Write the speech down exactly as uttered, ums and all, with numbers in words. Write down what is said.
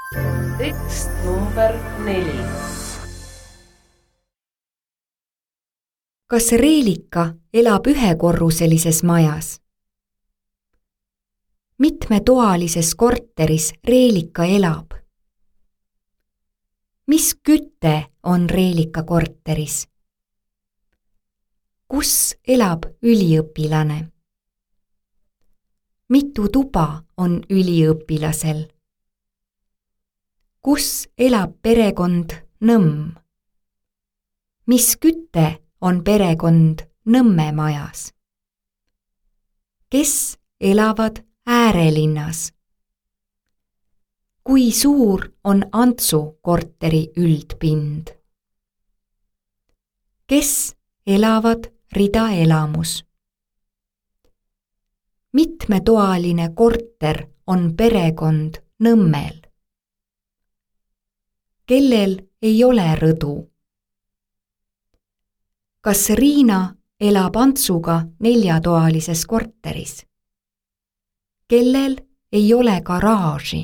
Tekst number neli. Kas Reelika elab ühekorruselises majas? Mitmetoalises korteris Reelika elab? Mis küte on Reelika korteris? Kus elab üliõpilane? Mitu tuba on üliõpilasel? Kus elab perekond Nõmm? Mis küte on perekond Nõmme majas? Kes elavad äärelinnas? Kui suur on Antsu korteri üldpind? Kes elavad ridaelamus? Mitmetoaline korter on perekond Nõmmel? Kellel ei ole rõdu? Kas Riina elab Antsuga neljatoalises korteris? Kellel ei ole garaaži?